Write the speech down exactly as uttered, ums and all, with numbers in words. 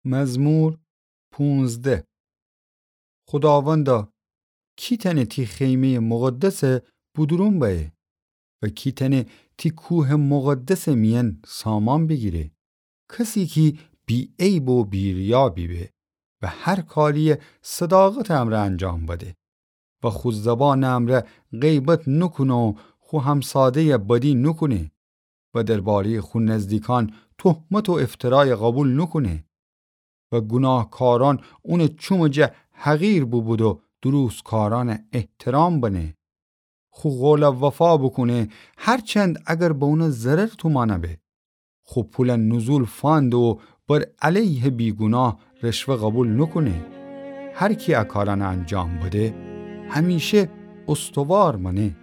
مزمور پونزده. خوداوندا، کی تأنه تی خیمه‌یٚ مقدس بودورون بأیه؟ و کی تأنه تی کوهٚ مقدسٚ میأن سامان بیگیره؟ کسی کی بی‌عیب و بی‌ریا بیبه و هر کاریی صداقتٚ امرأ انجام بده و خو زبانٚ امرأ غیبت نوکونه و خو همساده‌ی بدی نوکونه و درباره‌یٚ خو نزدیکأن تهمت و افترای قوبیل نوکونه و گوناهکارأن اونٚ چومٚ جا حقیر بوبود و دروستکارأن احترام بنه. خو قول وفا بوکونه، هرچند اگر به اون ضرر تومأن به. خو پول نزول فأنده و بر علیه بیگوناه رشوه قوبیل نوکونه. هر کی ا کارأن انجام بده، همیشه استوار مأنه.